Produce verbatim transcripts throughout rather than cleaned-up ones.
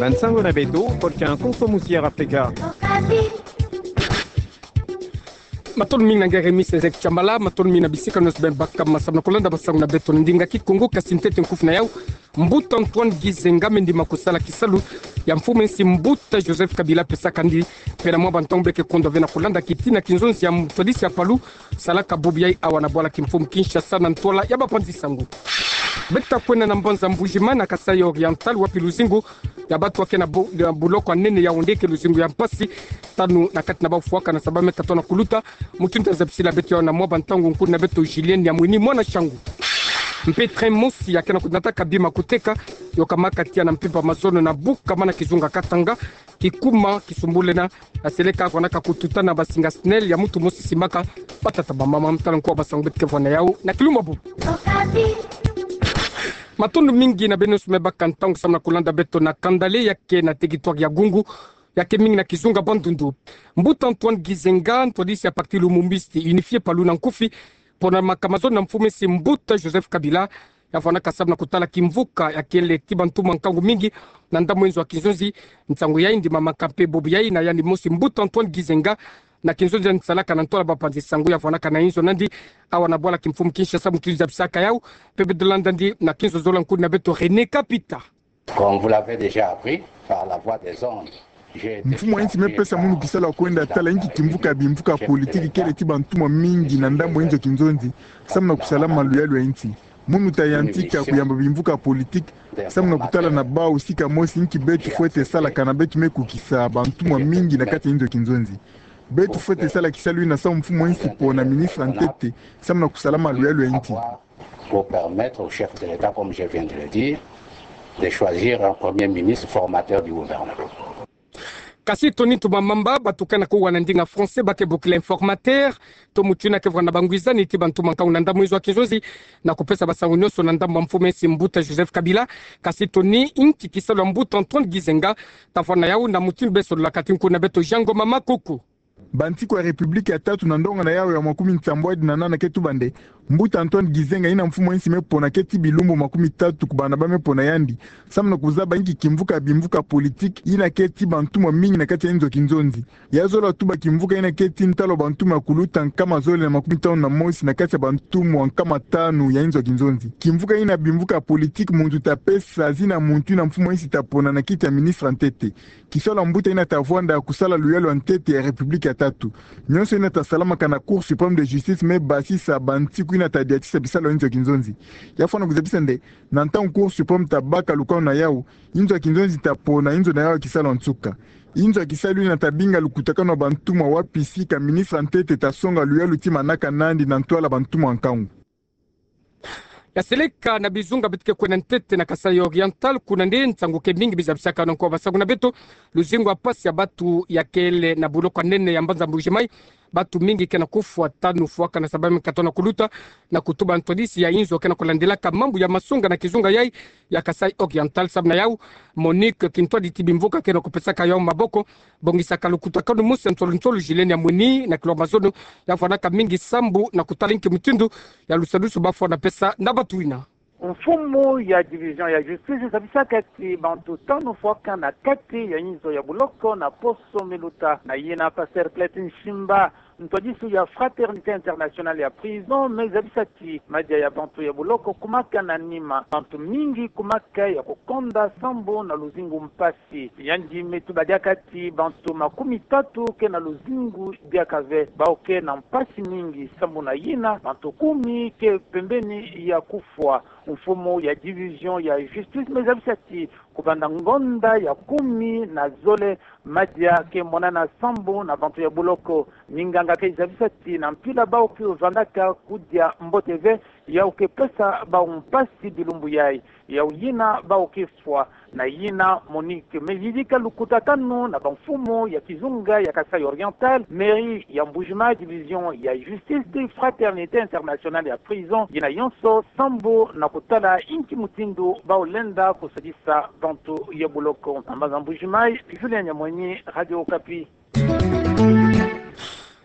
Bansango na beto, podcast Kongo Musi ya Afrika. Matondo mingi na nge Rémi Sezek Chambala, matondo mingi na bisika nyonso beno baka ma samu na kulanda bansango na beto na ndinga Kikongo, kasi ntete nkufi na yau. Mbuta Antoine Gizenga me ndima kusala kisalu ya mfumu nsi mbuta Joseph Kabila pesaka ndi, pena mwa bantangu beke kondo ve na kulanda kitina kinzonzi ya mutwadisi ya palu salaka bubu yai awa na bwala kimfumu Kinshasa na ntwala ya bapanzi sango. Beta kwenda na mbanza Mbuji-Mayi na Kasaï Oriental, wapi luzingu ya batu ya ke na bu-, ya buloko ya nene ya Yaoundé ke luzingu ya mpasi. Tanu na kati na bau fwakana sababu me katona kuluta. Mutindu tazabisila beto yau na mwa bantangu, nkuna beto Julienne Yamwini mwana Shangu. Mpe train mosi ya ke na kunataka bima kuteka, yokamaka tiya na mpimpa mazono na buka mana kizunga Katanga, kikuma kisumbulena, aseleka kwanaka kututa na basinga SNEL ya mutu mosi simbaka batata bamama. Mtala nkuwa bansango beto ke vwa na yau na kilumbu bubu. Matondo mingi na beno nyonso me baka ntangu samu na kulanda beto na kanda le ya ke na territoire ya Gungu, ya ke mingi na kizunga Bandundu. Mbuta Antoine Gizenga, ntwadisi ya parti Lumumbiste Unifié, palu na nkufi, ponamaka mazono na mfumu nsi mbuta Joseph Kabila, ya vwanaka samu na kutala kimvuka ya kele ti bantu mwa nkangu mingi na ndambu ya inzo ya kinzonzi. Nsangu yai ndimamaka mpe bubu yai na yandi mosi mbuta Antoine Gizenga na kinzonzi yandi salaka na ntwala bapanzi sango, ya vwanaka na inzo nandi awa na bwala kimfumu Kinshasa. Mutindu tazabisaka yau, mpe beno landa ndi na kinzo zola, nkuna beto René Kapita. Comme vous l'avez déjà appris par la voie des ondes, j'ai été chargé par le gouvernement. Mfumu ya insi me pesa munu kisalu ya kwenda tala inki kimvuka ya bimvuka politiki kele ti bantu mwa mingi na ndambu ya inzo ya kinzonzi, samu na kusala maluyalu ya insi. Munu tayantika kuyamba bimvuka politiki samu na kutala na bau sika mosi inki beto fwete salaka na beto me kukisa bantu mwa mingi na kati ya inzo ya kinzonzi. Beto fwete sala kisalu yina samu mfumu ya insi pona ministre ya ntete samu na kusala maluyalu ya insi. Pour permettre au chef de l'État, comme je viens de le dire, de choisir un premier ministre formateur du gouvernement. Kasi toni ntuma mamba, batu ke na kuwa na ndinga français ba ke bokila informateur, to mutu yina ke vwa na bangwizani ti bantu mwa nkangu na ndambu ya inzo ya kinzonzi, na kupesa bansango nyonso na ndambu ya mfumu ya insi mbuta Joseph Kabila. Kasi toni inki kisalu ya mbuta Antoine Gizenga, ta vwa na yau na mutindu besololaka ti nkuna beto Jean Ngoma Makuku. Bantiku ya République ya tatu na ndonga na yau ya makumi nsambwadi na nana ke tuba nde, mbuta Antoine Gizenga yina mfumu ya insi me pona ke ti bilumbu makumi tatu kubanda ba me pona yandi, samu na kuzaba inki kimvuka ya bimvuka politiki yina ke ti bantu mwa mingi na kati ya inzo ya kinzonzi. Ya zola tuba kimvuka yina ke ti ntalu ya bantu mwa kuluta nkama zole na makumi tanu na mosi na kati ya bantu mwa nkama tanu ya inzo ya kinzonzi. Kimvuka yina bimvuka politiki muntu ta pesa zina muntu yina mfumu ya insi ta pona na kiti ya ministre ya ntete. Kisalu ya mbuta yina ta vwanda kusala luyalu ya ntete ya République ya tatu. Nyonso yina ta salamaka na Cour suprême de justice me basisa bantiku yina ta diatisa bisalu ya inzo ya kinzonzi. Ya fwana kuzabisa nde, na ntangu Cour suprême ta baka lukanu na yau, inzo ya kinzonzi ta pona inzo na yau ya kisalu ya nsuka. Inzo ya kisalu yina ta binga lukutakanu ya bantu mwa wapi sika ministre ya ntete ta songa luyalu ti manaka nandi na ntwala bantu mwa nkangu. Ya seleka na bizunga beto ke kwenda ntete na Kasaï Oriental, kuna nde nsangu ke mingi bizabisaka na nko wa basangu na beto. Luzingu ya mpasi ya batu ya kele na buloko ya nene ya mbanza Mbuji-Mayi. Batu mingi ke na kufwa, tanu fwakana sababu me katona kuluta, na kutuba ntwadisi ya inzo ke na kulandilaka mambu ya masonga na kizunga yai ya Kasaï Oriental. Samu na yau, Monique Kintwadi ti bimvuka ke na kupesaka yau maboko, bongisaka lukutakanu mosi ya nsolo nsolo Julienne Yamwini na kilwa mazono, ya vwanaka mingi sambu na kutala inki mutindu ya lusadusu ba fwana pesa na batu yina. Mfumu ya division ya justice zabisaka ti bantu tanu fwakana na kati ya inzo ya buloko na poso mi luta. Na yina Pasteur Clet Nshimba, ntwadisu ya Fraternité Internationale ya Prison, me zabisa ti madia ya bantu ya buloko kumaka na nima. Bantu mingi kumaka ya kukonda sambu na luzingu mpasi. Yandi me tuba diaka ti bantu makumi tatu ke na luzingu diaka ve, bau ke na mpasi mingi. Sambu na yina, bantu kumi ke pembeni ya kufwa. Mfumu ya division ya justice me zabisa ti kubanda ngonda ya kumi na zole, madia ke monana sambu na bantu ya buloko. Minganga ke zabisa ti na mpila bau ke vandaka kudia mbote ve, yau ke pesa bau mpasi bilumbu yai. Yau yina bau ke fwa. Na yina Monique me yidika lukutakanu na bamfumu ya kizunga ya Kasaï Oriental, mairie ya Mbuji-Mayi, division ya justice, Fraternité Internationale ya Prison, yina yonso sambu na kutala inki mutindu bau lenda kusadisa bantu ya buloko. Na mbanza Mbuji-Mayi, Julien Nyamwini, Radio Okapi.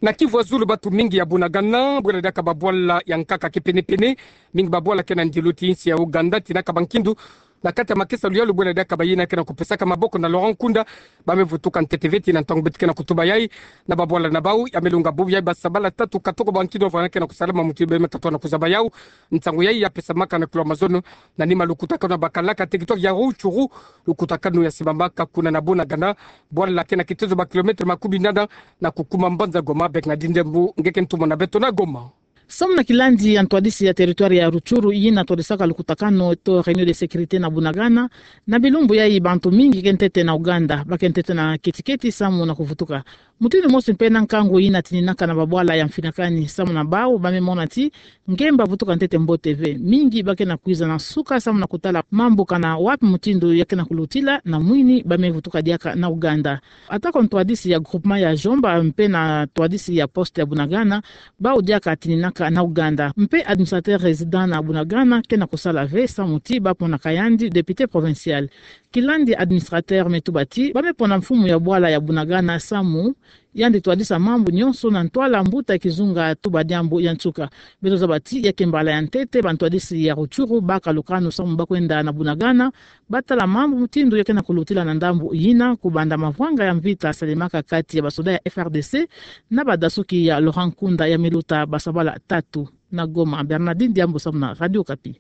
Na Kivu ya Zulu, batu mingi ya Bunagana, bwela diaka babwala ya nkaka kipenepene, mingi babwala ke na ndilu ti insi ya Ouganda, tinaka bankindu na kati ya makesa luyalu bwela diaka bayina ke na kupesaka maboko na Laurent Nkunda, ba me vutuka ntete veti na ntangu beto ke na kutuba yai, na babwala na bau, ya me lunga bubu yai basabala tatu katoko bankido vana ke na kusala ma muti be me katoa na kuzaba yau, ntangu yai ya pesamaka na kilo mazono, na nima lukutakanu bakalaka teki toa ya Rutshuru, lukutakanu ya simamaka kuna na Bunagana, bwala ke na kitezo ba kilometre makumi nana, na kukuma mbanza Goma, Bernardine Ndembu, nge ke ntumwa na beto na Goma. Samu na kilandi ya ntwadisi ya territoire ya Rutshuru, yina twadisaka lukutakanu to réunion de sécurité na Bunagana, na bilumbu yai bantu mingi ke ntete na Uganda, ba ke ntete na keti-keti samu na kuvutuka. Mutindu mosi mpe na nkangu yina tininaka na babwala ya mfinakani, samu na bau, ba me mona ti, nge mba vutuka ntete mbote ve. Mingi ba ke na kwiza na suka samu na kutala mambu kana wapi mutindu ya ke na kulutila, na mwini ba me vutuka diaka na Uganda. Ata kwa ntwadisi ya groupement ya Djomba mpe na ntwadisi ya poste ya Bunagana, bau diaka tininaka na Uganda. Mpe administrateur résident na Bunagana ke na kusala ve samu ti ba ponaka yandi député provincial. Kilandi administrateur me tuba ti, ba me pona mfumu ya bwala ya Bunagana samu yandi twadisa mambu nyonso na ntwala mbuta kizunga tuba diambu ya nsuka. Beto zaba ti ya ke mbala ya ntete ba ntwadisi ya Rutshuru ba kalukanu samu ba kwenda na Bunagana, ba tala mambu mutindu ya ke na kulutila na ndambu yina, kubanda mavwanga ya mvita salemaka kati ya basoda ya F R D C na badasuki ya Laurent Nkunda ya me luta basabala tatu. Na Goma, Bernardine Diambu samu na Radio Okapi.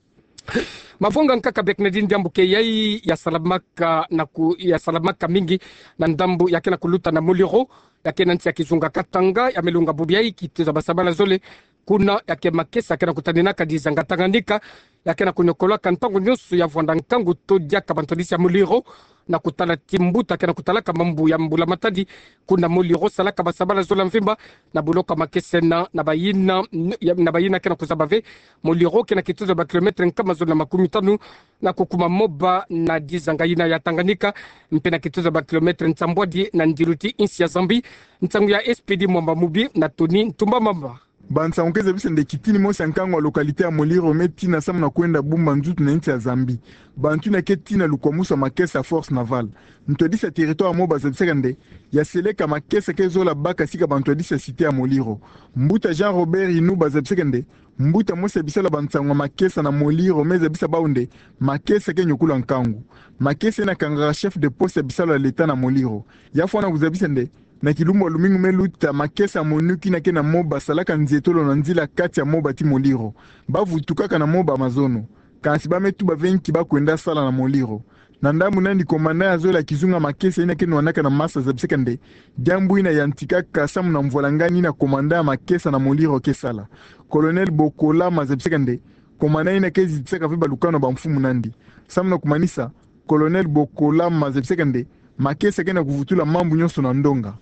Mavwanga nkaka Bernardine Diambu ke yai ya salamaka na ku-, ya salamaka mingi na ndambu ya ke na kuluta na Muliro, ya ke na nsi ya kizunga Katanga, ya me lunga bubu yai kitezo basabala zole, kuna ya ke makesa ke na kutaninaka dizanga Tanganyika, ya ke na kunyokolaka ntangu nyonso ya vwanda nkangu to diaka ba ntwadisi ya Muliro, na kutala ti mbuta ke na kutalaka mambu ya mbulamatadi, kuna Muliro salaka basabala zola mvimba, na buloka makesa na, na bayina, ya, na bayina ke na kuzaba ve, Muliro ke na kituza ba kilometre nkama zole na makumi tanu, na kukuma Moba na dizanga yina ya Tanganyika, mpe na kituza ba kilometre nsambwadi na ndilu ti nsi ya Zambie, nsangu ya S P D Mwamba Mubi na Tony Ntumba Mamba. Bansangu ke zabisa nde kitini mosi ya nkangu ya localité ya Muliro me tina samu na kwenda bumba nzutu na nsi ya Zambie. Bantu yina ke tina lukwamusu ya makesa ya Force Navale. Ntwadisi ya territoire ya Moba zabisaka nde, ya seleka makesa ke zola baka sika ba ntwadisi ya cité ya Muliro. Mbuta Jean Robert Inuba zabisaka nde, mbuta mosi ya bisalu ya bansangu ya makesa na Muliro me zabisa bau nde, makesa ke nyokula nkangu. Makesa yina kangaka chef de poste ya bisalu ya l'État na Muliro. Ya fwana kuzabisa nde, na kilumbu ya lumingu me luta, makesa ya MONUC yina ke na Moba salaka nzietolo na nzila kati ya Moba ti Muliro. Ba vutukaka na Moba mazono. Kansi ba me tuba ve nki ba kwenda sala na Muliro. Na ndambu nandi, commandant ya zole ya kizunga makesa yina ke nwanaka na masa zabisaka nde, diambu yina yantikaka samu na mvwalangani yina commandant ya makesa na Muliro ke sala. Colonel Bokolama zabisaka nde, commandant yina ke zitisaka ve balukanu ya bamfumu nandi. Samu na kumanisa, Colonel Bokolama zabisaka nde, makesa ke na kuvutula mambu nyonso na ndonga.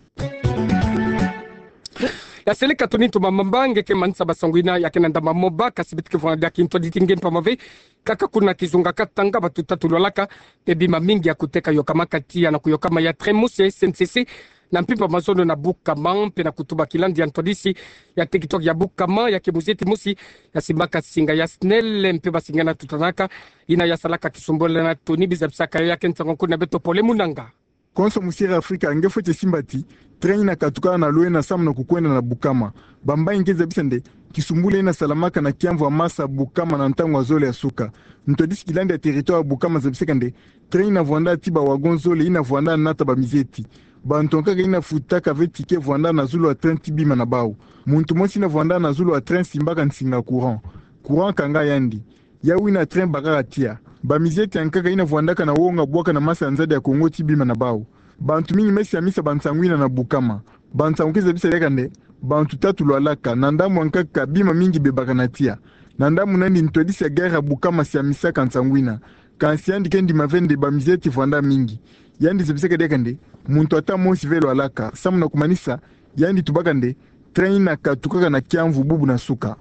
Ya seleka Tony Ntumba Mamba nge ke manisa basangu yina ya ke na ndambu ya Moba, kasi beto ke vwanga diaka kintwadi ti nge mpamba ve, kaka kuna kizunga Katanga bantu tatu lwalaka, mpe bima mingi ya kuteka yokamaka tiya na kuyokama ya train mosi ya S N C C, na mpimpa mazono na Bukama, mpe na kutuba kilandi ya ntwadisi ya territoire ya Bukama, ya ke muzieti mosi ya simbaka singa ya SNEL, mpe ba singa yina tutanaka, yina ya salaka kisumbula na Tony, bizabisaka yo ya ke nsangu kuna beto Pole Munanga. Konso musi Air Africa nge fweti simba ti, train yina katuka na lwena samu na kukwenda na Bukama. Bambangi ke zabisa nde, kisumbula yina salamaka na kiamvu ya masa Bukama na ntangu ya zole ya suka. Ntwadisi kilandi ya territoire ya Bukama zabisaka nde, train yina vwanda ti ba wagon zole yina vwanda nata bamizieti. Bantu yankaka yina futaka ve ticket vwanda na zulu ya train ti bima na bau. Muntu mosi yina vwanda na zulu ya train simbaka nsinga courant. Courant kanga yandi. Yawu yina train bakaka tiya. Bamizieti yankaka yina vwandaka na wonga bwaka na masa ya nzadi ya Kongo ti bima na bau. Bantu mingi me siamisa bansangu yina na Bukama. Bansangu ke zabisa diaka nde, bantu tatu lwalaka, na ndambu yankaka bima mingi bebaka na tiya. Na ndambu nandi ntwadisi ya gare ya Bukama siamisaka nsangu yina. Kansi yandi ke ndima ve nde bamizieti vwanda mingi. Yandi zabisaka diaka nde, muntu ata mosi ve lwalaka. Samu na kumanisa, yandi tubaka nde, train yina katukaka na kiamvu bubu na suka.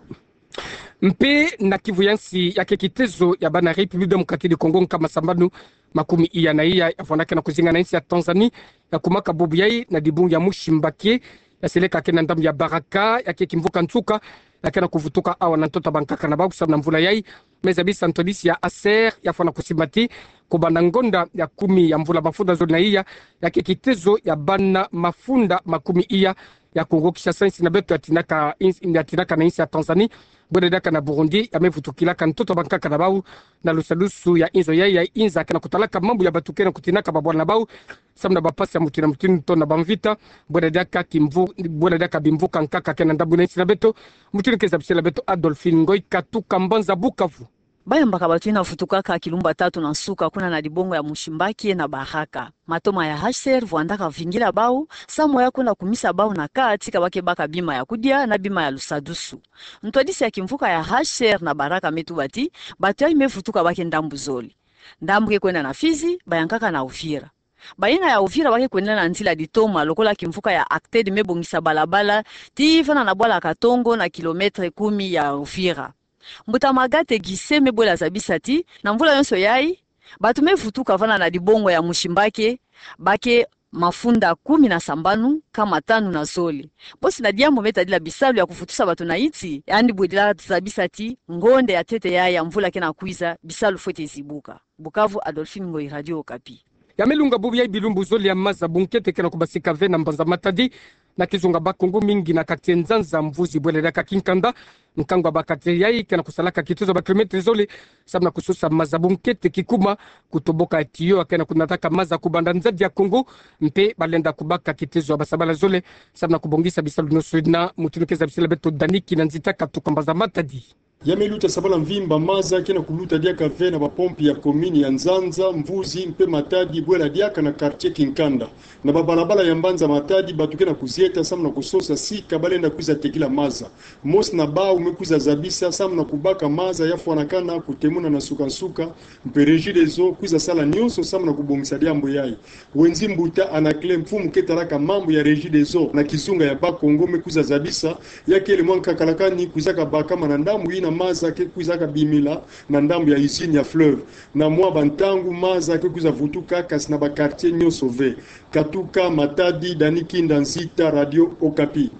Mpe na Kivu ya nsi, ya ke kitezo ya bana République Démocratique du Congo nkama sambanu makumi iya na iya, ya vwandaka na kuzinga na nsi ya Tanzanie, ya kumaka bubu yai na dibungu ya Mushimbakie, ya seleka ke na ndambu ya Baraka, ya ke kimvuka nsuka, ya ke na kuvutuka awa na ntoto ya bankaka na bau samu na mvula yai, Me zabisa ntwadisi ya H C R, ya fwana kusimati, kubanda ngonda ya kumi ya mvula mafunda zole na iya, ya ke kitezo ya bana mafunda makumi iya, ya Kongo Kinshasa, insi na beto ya tinaka, ins-, ya tinaka na insi ya Tanzanie, bwela diaka na Burundi, ya me vutukilaka ntoto bankaka na bau, na lusadusu ya inzo ya, ya inza ke na kutalaka mambu ya bato ke na kutinaka babwana na bau, samu na bampasi ya mutindu na mutindu to na bamvita, bwela diaka kimvu-, bwela diaka bimvuka nkaka ke na ndambu na insi na beto, mutindu ke zabisela beto Adolphine Ngoyi katuka mbanza Bukavu. Bayambaka bato ina vutukaka kilumbu tatu na nsuka kuna na dibongo ya Mushimbakie na Baraka. Matoma ya H C R vwandaka vingila bau, samu ya kwenda kumisa bau na kati ka ba ke baka bima ya kudia na bima ya lusadusu. Ntwadisi ya kimvuka ya H C R na Baraka me tuba ti, bato yayi me vutuka ba ke ndambu zole. Ndambu ke kwenda na Fizi, bayankaka na Uvira. Bayina ya Uvira ba ke kwenda na nzila ditoma, lokola kimvuka ya ACTED me bongisa balabala, tii vanda na bwala Katongo na kilomètre kumi ya Uvira. Mbuta Magate Gise me bwela zabisa ti, na mvula yonso yayi, bato me vutuka vanda na dibongo ya Mushimbakie, ba ke mafunda kumi na sambanu, nkama tanu na zole. Bosi na diambu me tadila bisalu ya kuvutusa bato na insi, yandi bwela zabisa ti, ngonda ya ntete ya, ya mvula ke na kwiza, bisalu fwete zibuka. Bukavu, Adolphine Ngoyi, Radio Okapi. Ya me lunga bubu yayi bilumbu zole ya maza bunkete ke na kubasika ve na mbanza Matadi, na kizunga Bas-Congo, mingi na quartier Nzanza, Mvuzi, bwela diaka Kinkanda. Nkangu ya ba quartier yayi ke na kusalaka kitezo ya ba kilomètre zole, samu na kusosa maza bunkete kikuma, kutoboka tuyau ke na kunataka maza kubanda nzadi ya Congo, mpe balenda kubaka kitezo ya basabala zole, samu na kubongisa bisalu nyonso ina, mutindu ke zabisela beto Dani Kinanzita katuka mbanza Matadi. Ya me luta sabala mvimba, maza ke na kuluta diaka ve na bapompe ya commune ya Nzanza, Mvuzi mpe Matadi, bwela diaka na quartier Kinkanda. Na babalabala ya mbanza Matadi, bato ke na kuzieta samu na kusosa sika balenda kwiza tekila maza. Mosi na bau me kwiza zabisa samu na kubaka maza ya fwanakana kutemuna na nsuka-nsuka, mpe Regideso kwiza sala nyonso samu na kubongisa diambu yayi. Wenzi mbuta Anaclet, mfumu ke talaka mambu ya Regideso na kizunga ya Bas-Congo, me kwiza zabisa, ya kele mwa nkakalakani kwizaka bakama na ndambu ina maza ke kwizaka bimila na ndambu ya usine ya Fleuve. Na mwa bantangu maza ke kwiza vutuka kasi na ba quartier nyonso ve. Katuka Matadi, Dani Kinanzita, Radio Okapi.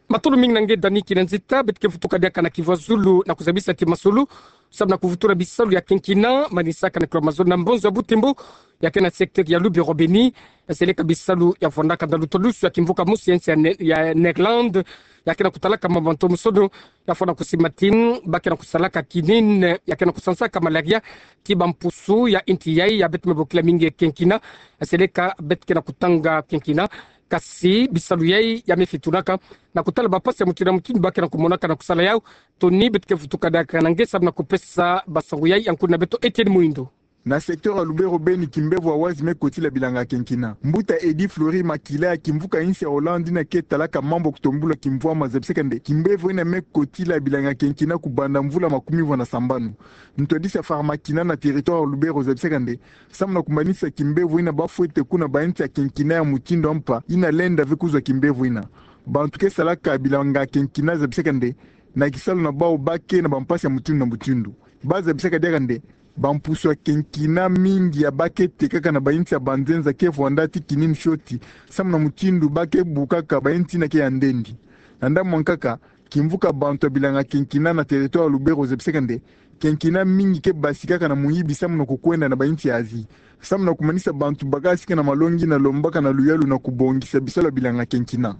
Matondo mingi na nge Dani Kinanzita. Beto ke vutuka diaka na kivwazulu na kuzabisa ti masolo samu na kuvutula bisalu ya quinquennat manisaka na kilomètre zole na mbonzo ya Butembo, ya ke na secteur ya Lubero-Beni, ya seleka bisalu ya vwandaka na lutwadusu ya kimvuka mosi ya insi ya Ne-, ya Néerlande, ya ke na kutalaka mambu ya ntomosono, ya fwana kusimati, ba ke na kusalaka quinine, ya ke na kusansaka malaria, tii bampusu ya inti yayi, ya beto me bokila mingi quinquennat, ya seleka beto ke na kutanga quinquennat, kasi bisalu yayi ya me fitunaka na kutala bampasi ya mutindu na mutindu ba ke na kumonaka na kusala yau. Toni beto ke vutuka diaka na nge samu na kupesa basangu yayi, ya nkuna beto Etienne Muindo. Na secteur ya Lubero-Beni, kimbevo ya wazi me kotila bilanga quinquennat. Mbuta Eddy Fleury Makila ya kimvuka insi ya Hollande ina ke talaka mambu ya kutombula kimvwama zabisaka nde kimbevo ina me kotila bilanga quinquennat kubanda mvula makumi vwa na sambanu. Ntwadisi ya Farmakina na territoire ya Lubero zabisaka nde, samu na kumanisa kimbevo ina ba fwete kuna ba insi ya quinquennat ya mutindu ya mpa ina lenda ve kuzwa kimbevo ina. Bantu ke salaka bilanga quinquennat zabisaka nde, na kisalu na bau ba ke na bampasi ya mutindu na mutindu. Ba zabisaka diaka nde, bampusu ya quinquennat mingi ya ba ke tekaka na ba insi ya banzenza ke vwanda tii quinine fioti, samu na mutindu ba ke bukaka ba insi ina ke ya ndendi. Na ndambu ya nkaka, kimvuka bantu ya bilanga quinquennat na territoire ya Lubero zabisaka nde, quinquennat mingi ke basikaka na muyibi samu na kukwenda na ba insi ya Asie. Samu na kumanisa bantu bakasika na malongi na lombaka na luyalu na kubongisa bisalu ya bilanga quinquennat.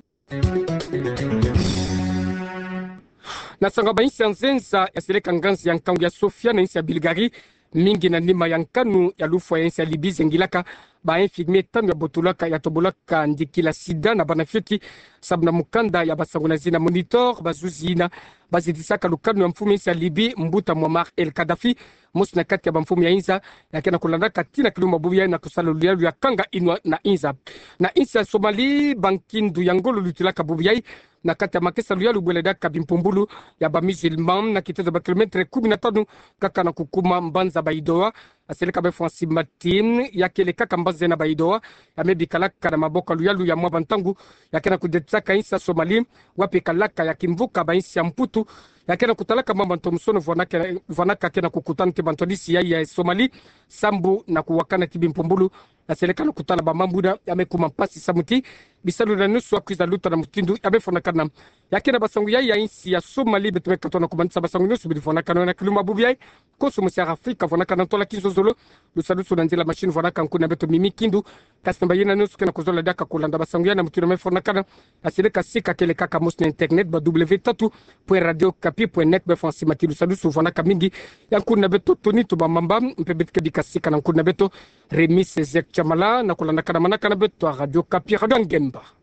Na nsangu ya ba insi ya nzenza ya seleka nganzi ya nkangu ya Sofia na insi ya Bulgarie, mingi na nima ya nkanu ya lufwa ya insi ya Libye zengilaka, ba infirmier tanu ya botolaka, ya tobolaka ndikila sida na bana fioti, samu na mukanda ya basangu na zina Monitor, bazuzi ina ba zidisaka lukanu ya mfumu ya insi ya Libye, mbuta Muammar el-Kadhafi, mosi na kati ya bamfumu ya inza ya ke na kulandaka tii na kilumbu bubu yayi na kusala luyalu ya kanga inwa na inza. Na insi ya Somalie, bankindu ya ngolo lutilaka bubu yayi na kati ya makesa luyalu bwela diaka bimpumbulu ya ba musulman na kitezo ya ba kilomètre kumi na tanu kaka na kukuma mbanza Baidoa. Ya seleka bafwa nsi mati, ya kele kaka mbanza ina Baidoa ya me bikalaka na maboko ya luyalu ya mwa bantangu, ya ke na kudetisaka insi ya Somalie, wapi kalaka ya kimvuka ba insi ya Mputu, ya ke na kutalaka mwa bantu musono vwanaka, vwanaka ke na kukutana tii bantwadisi ya, ya Somalie, sambu na kuwakana tii bimpumbulu, ya seleka na kutala ba mambu ina ya me kuma mpasi samu tii Bisalu na nusu akwiza luta na mutindu ya befo na kanam. Ya kina basangu ya, ya insi ya Somali beto me kato na kumansa basangu nusu bidi fo na kano na kiluma bubi ai. Koso musi ya Afrika fo na kana tola kinso zolo. Lusalusu na nzila machine fo na kankuna beto mimi kindu. Kasi na bayina nusu kena kozola diaka kolanda basangu ya na mutindu me fo na kana. Asile kasi kakele kaka mos na internet ba w tatu point radio kapi point net be fo ansi mati lusalusu fo na kamingi. Ya nkuna beto Tony Tubamamba, mpe beto ke bika sika na nkuna beto Remis Ezek Chamala, na kolanda kana mana kana beto a Radio Kapi, Radio Ngemba.